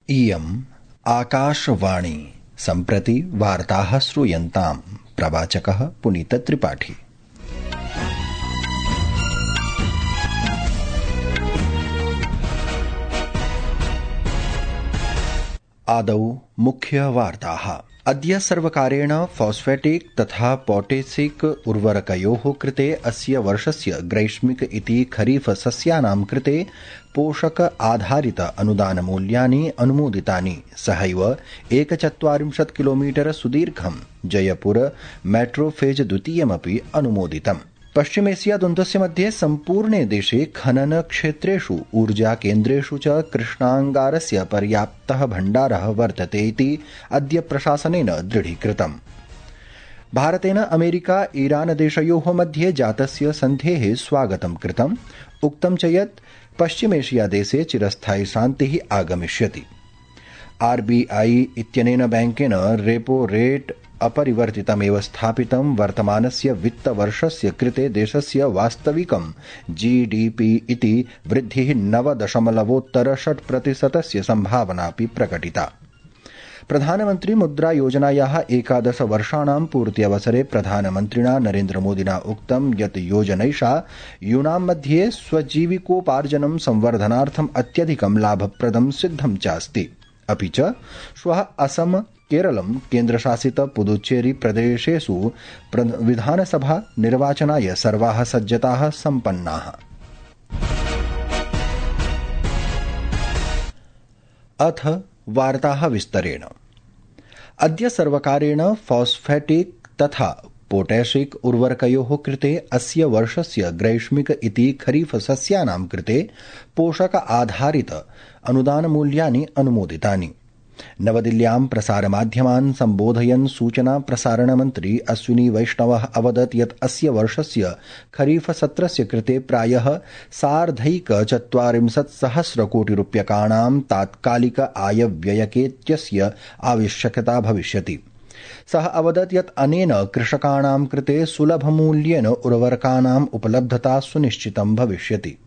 इयम् आकाशवाणी। सम्प्रति वार्ताः श्रूयन्ताम्। प्रवाचकः पुनीतत्रिपाठी। आदौ मुख्यवार्ताः। अद्य सर्वकारेण फॉस्फेटिक तथा पोटेसिक उर्वरकयोः कृते अस्य वर्षस्य ग्रैष्मिक इति खरीफ सस्यानां कृते पोषक आधारित अनुदानमूल्यानि अनुमोदितानि। सहैव 41 किलोमीटर सुदीर्घं जयपुर मेट्रो फेज द्वितीयमपि अनुमोदितम्। पश्चिमेशिया द्वन्द्वस्य मध्ये सम्पूर्णे देशे खनन क्षेत्रेषु ऊर्जा केन्द्रेषु च कृष्णाङ्गारस्य पर्याप्तः भण्डारः वर्तते इति अद्य प्रशासनेन दृढीकृतम्। भारतेन अमेरिका ईरान देशयोः मध्ये जातस्य सन्धेः स्वागतं कृतम्। उक्तं च यत् पश्चिमेशिया देशे चिरस्थायी शान्तिः आगमिष्यति। RBI इत्यनेन बैंकेन रेपो रेट अपरिवर्तितमेव स्थापितं। वर्तमानस्य वित्तवर्षस्य कृते देशस्य वास्तविकं GDP इति वृद्धिः 9.6% संभावनापि प्रकटिता। प्रधानमन्त्री मुद्रा योजनायाः 11 वर्षाणां पूर्त्यवसरे प्रधानमन्त्रिणा नरेन्द्रमोदिना उक्तं यत् योजनैषा यूनां मध्ये स्वजीविकोपार्जनं संवर्धनार्थम् अत्यधिकं लाभप्रदं सिद्धं चास्ति। अपि च श्वः असम, केरलं, केन्द्रशासित पुदुच्चेरी प्रदेशेषु विधानसभा निर्वाचनाय सर्वाः सज्जताः सम्पन्नाः। अथ वार्ताः विस्तरेण। अद्य सर्वकारेण फॉस्फेटिक तथा पोटेशिक उर्वरकयोः कृते अस्य वर्षस्य ग्रैष्मिक इति खरीफ सस्यानां कृते पोषक आधारित अनुदानमूल्यानि अनुमोदितानि। नवदिल्ल्यां प्रसारमाध्यमान् सम्बोधयन् सूचना प्रसारणमन्त्री अश्विनी वैष्णवः अवदत् यत् अस्य वर्षस्य खरीफ सत्रस्य कृते प्रायः 40,000 कोटिरूप्यकाणां तात्कालिक आयव्ययकेत्यस्य आवश्यकता भविष्यति। सः अवदत् यत् अनेन कृषकाणां कृते सुलभमूल्येन उर्वरकानाम् उपलब्धता सुनिश्चितं भविष्यति।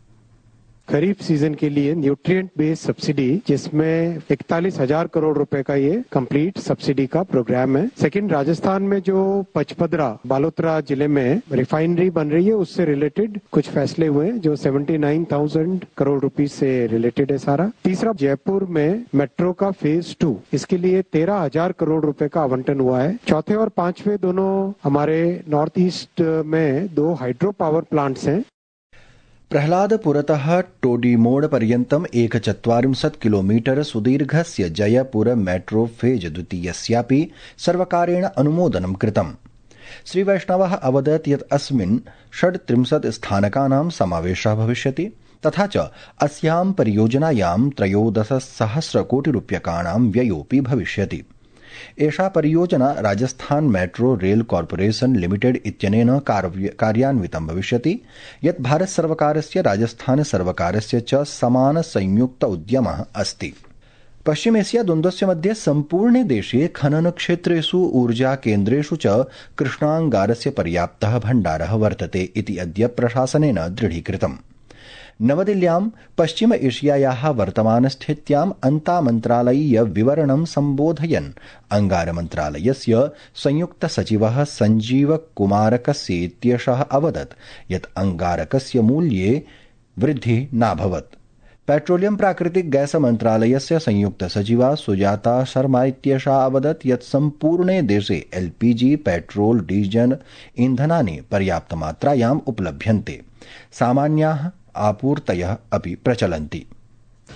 खरीफ सीजन के लिए न्यूट्रिएंट बेस्ड सब्सिडी, जिसमें 41,000 करोड़ रुपए का ये कंप्लीट सब्सिडी का प्रोग्राम है। सेकंड, राजस्थान में जो पचपदरा बालोतरा जिले में रिफाइनरी बन रही है, उससे रिलेटेड कुछ फैसले हुए हैं जो 79,000 करोड़ रुपीस से रिलेटेड है सारा। तीसरा, जयपुर में मेट्रो का फेज 2, इसके लिए 13,000 करोड़ रुपए का आवंटन हुआ है। चौथे और पांचवें दोनों हमारे नॉर्थ ईस्ट में 2 हाइड्रो पावर प्लांट्स हैं। प्रह्लादपुरतः टोडीमोड पर्यन्तम् 41 किलोमीटर सुदीर्घस्य जयपुर मेट्रो फेज द्वितीयस्यापि सर्वकारेण अनुमोदनं कृतम्। श्रीवैष्णवः अवदत् यत् अस्मिन् 36 स्थानकानां समावेशः भविष्यति। तथा च अस्यां परियोजनायां 13,000 कोटिरूप्यकाणां व्ययोऽपि भविष्यति। एषा परियोजना Rajasthan metro rail corporation limited इत्यनेन कार्यान्वितं भविष्यति, यत् भारत सर्वकारस्य राजस्थान सर्वकारस्य च समान संयुक्त उद्यमः अस्ति। पश्चिमेशिया द्वन्द्वस्य मध्ये सम्पूर्णे देशे खनन क्षेत्रेषु ऊर्जा केन्द्रेषु च कृष्णाङ्गारस्य पर्याप्तः भण्डारः वर्तते इति अद्य प्रशासनेन दृढीकृतम्। नवदिल्ल्यां पश्चिम एशियायाः वर्तमानस्थित्याम् अन्तामन्त्रालयीय विवरणं सम्बोधयन् अंगारमन्त्रालयस्य संयुक्त सचिवः संजीव कुमारकस्य इत्येषः अवदत् यत् अंगारकस्य मूल्ये वृद्धिः नाभवत्। पेट्रोलियम प्राकृतिक गैस मन्त्रालयस्य संयुक्त सचिवा सुजाता शर्मा इत्येषा अवदत् यत् सम्पूर्णे देशे LPG, पेट्रोल, डीजल ईन्धनानि पर्याप्तमात्रायाम् उपलभ्यन्ते। सामान्याः आपूर्तयः अपि प्रचलन्ति।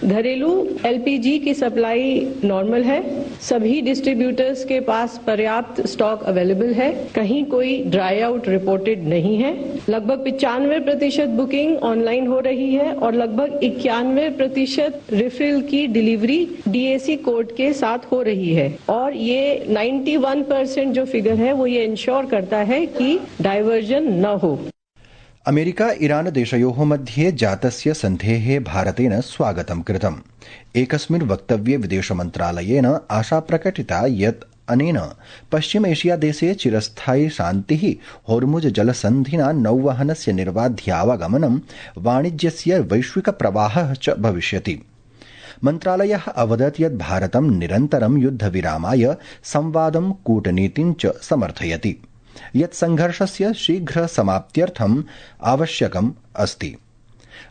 घरेलू LPG की सप्लाई नॉर्मल है। सभी डिस्ट्रीब्यूटर्स के पास पर्याप्त स्टॉक अवेलेबल है। कहीं कोई ड्राई आउट रिपोर्टेड नहीं है। लगभग 95% बुकिंग ऑनलाइन हो रही है और लगभग 91% रिफिल की डिलीवरी DAC कोड के साथ हो रही है। और ये 91% जो फिगर है वो ये इंश्योर करता है कि डाइवर्जन न हो। अमेरिका ईरान देशयोः मध्ये जातस्य सन्धेः भारतेन स्वागतं कृतम्। एकस्मिन् वक्तव्ये विदेशमन्त्रालयेन आशा प्रकटिता यत् अनेन पश्चिम एशिया देशे चिरस्थायी शान्तिः, होर्मुज जलसन्धिना नौवहनस्य निर्बाध्यावागमनं, वाणिज्यस्य वैश्विक प्रवाहः च भविष्यति। मन्त्रालयः अवदत् यत् भारतं निरन्तरं युद्धविरामाय संवादं कूटनीतिं च समर्थयति, यत् संघर्षस्य शीघ्र समाप्त्यर्थम् आवश्यकम् अस्ति।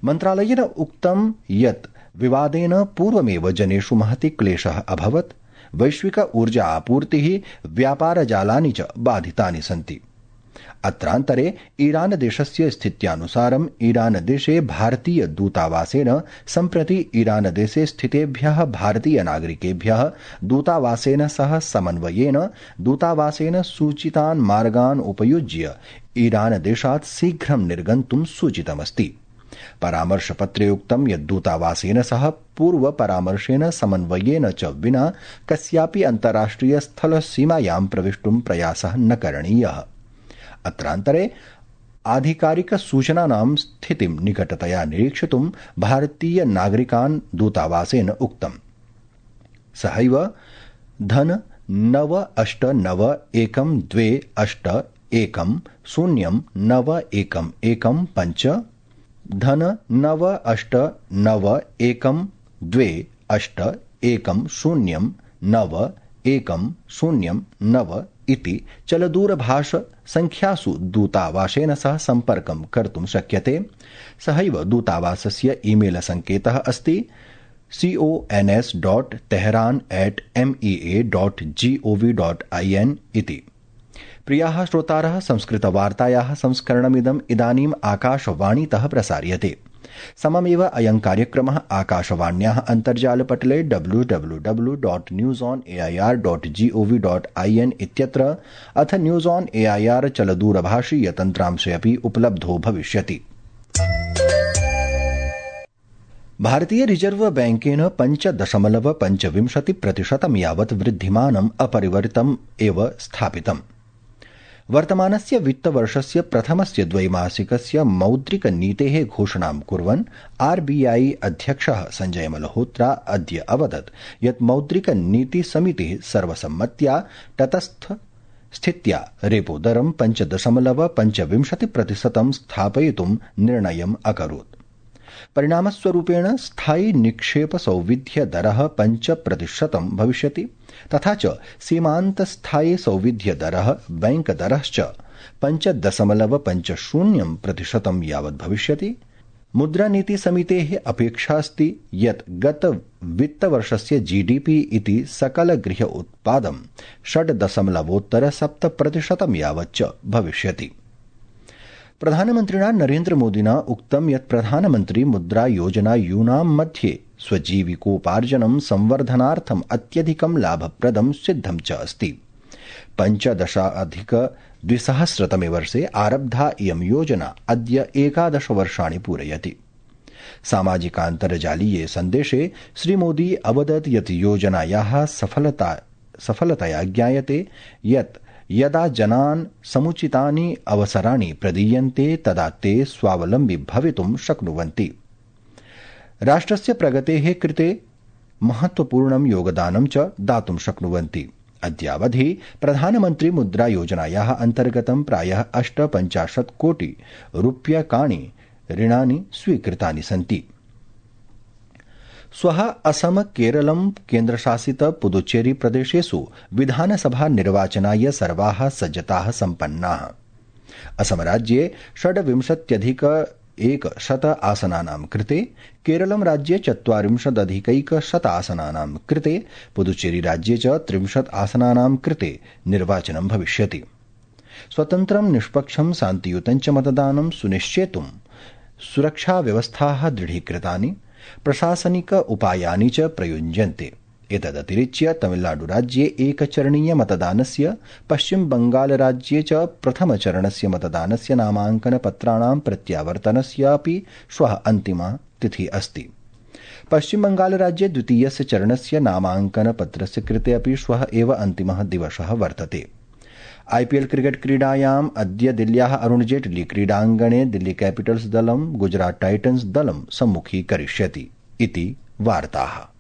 मन्त्रालयेन उक्तं यत् विवादेन पूर्वमेव जनेषु महति क्लेशः अभवत्, वैश्विक ऊर्जा आपूर्तिः, व्यापारजालानि च बाधितानि सन्ति। अत्रान्तरे ईरान देशस्य स्थित्यानुसारम् ईरान देशे भारतीय दूतावासेन सम्प्रति ईरान देशे स्थितेभ्यः भारतीय नागरिकेभ्यः दूतावासेन सह समन्वयेन दूतावासेन सूचितान् मार्गान् उपयुज्य ईरान देशात् शीघ्रं निर्गन्तुं सूचितमस्ति। परामर्शपत्रे उक्तं यत् दूतावासेन सह पूर्व परामर्शेन समन्वयेन च विना कस्यापि अन्ताराष्ट्रिय स्थल सीमायां प्रवेष्टुं प्रयासः न करणीयः। अत्रान्तरे आधिकारिक सूचनानां स्थितिं निकटतया निरीक्षितुं भारतीय नागरिकान् दूतावासेन उक्तम्। सहैव धन 989128109115 धन 989128109109 इति चलदूरभाष संख्यासु दूतावासेन सह सम्पर्कं कर्तुं शक्यते। सहैव दूतावासस्य ईमेल संकेतः अस्ति cons@tehran@mea.gov.in इति। प्रियाः श्रोतारः, संस्कृतवार्तायाः संस्करणमिदम् इदानीम् आकाशवाणीतः प्रसार्यते। सममेव अयं कार्यक्रमः आकाशवाण्याः अन्तर्जालपटले www.newsonair.gov.in इत्यत्र अथ न्यूज़ ऑन एआईआर चलदूरभाषीय तन्त्रांशे अपि उपलब्धो भविष्यति। भारतीय रिजर्व बैंकेन 5.25% यावत् वृद्धिमानम् अपरिवर्तितम् एव स्थापितम्। वर्तमानस्य वित्तवर्षस्य प्रथमस्य द्वैमासिकस्य मौद्रिक नीतेः घोषणां कुर्वन् आरबीआई अध्यक्षः संजय मल्होत्रा अद्य अवदत् यत् मौद्रिक नीति समितिः सर्वसम्मत्या तटस्थ स्थित्या रेपो दरं 5.25% स्थापयितुं निर्णयम् अकरोत्। परिणामस्वरूपेण स्थायी निक्षेप सौविध्य दरः 5% भविष्यति, तथा च सीमान्त स्थायी सौविध्य दरः बैंक दरश्च 5.50% यावत् भविष्यति। मुद्रानीति समितेः अपेक्षा अस्ति यत् गत वित्तवर्षस्य जीडीपी इति सकल गृह उत्पादं 6.7% यावच्च भविष्यति। प्रधानमन्त्रिणा नरेन्द्र मोदिना उक्तं यत् प्रधानमन्त्री मुद्रा योजना यूनां मध्ये स्वजीविकोपार्जनं संवर्धनार्थम् अत्यधिकं लाभप्रदं सिद्धं च अस्ति। 15-2000 वर्षे आरब्धा इयं योजना अद्य 11 वर्षाणि पूरयति। सामाजिकान्तर्जालीये सन्देशे श्रीमोदी अवदत् यत् योजनायाः सफलतया ज्ञायते यत् यदा जनान् समुचितानि अवसराणि प्रदीयन्ते तदा ते स्वावलम्बी भवितुं शक्नुवन्ति। राष्ट्रस्य प्रगतेः कृते महत्वपूर्णं योगदानं च दातुं शक्नुवन्ति। अद्यावधि प्रधानमन्त्री मुद्रा योजनायाः अन्तर्गतं प्रायः 58 कोटि रूप्यकाणि ऋणानि स्वीकृतानि सन्ति। श्वः असम, केरलं, केन्द्रशासित पुदुचेरी प्रदेशेषु विधानसभा निर्वाचनाय सर्वाः सज्जताः सम्पन्नाः। असम राज्ये 26,100 आसनानां कृते, केरलं राज्ये 40,100 आसनानां कृते, पुदुचेरी राज्ये च 30 आसनानां कृते निर्वाचनं भविष्यति। स्वतन्त्रं, निष्पक्षं, शान्तियुतं च मतदानं सुनिश्चेतुं सुरक्षाव्यवस्थाः दृढीकृतानि, प्रशासनिक उपायानि च प्रयुञ्जन्ते। एतदतिरिच्य तमिलनाडुराज्ये एकचरणीय मतदानस्य, पश्चिम बंगाल राज्ये च प्रथमचरणस्य मतदानस्य नामाङ्कनपत्राणां प्रत्यावर्तनस्यापि श्वः अन्तिमा तिथिः अस्ति। पश्चिम बंगाल राज्ये द्वितीयस्य चरणस्य नामाङ्कनपत्रस्य कृते अपि श्वः एव अन्तिमः दिवसः वर्तते। आईपीएल क्रिकेट क्रीडायाम् अद्य दिल्ल्याः अरुण जेटली क्रीडाङ्गणे दिल्ली कैपिटल्स दलं गुजरात टाइटन्स दलं सम्मुखीकरिष्यति इति वार्ताः।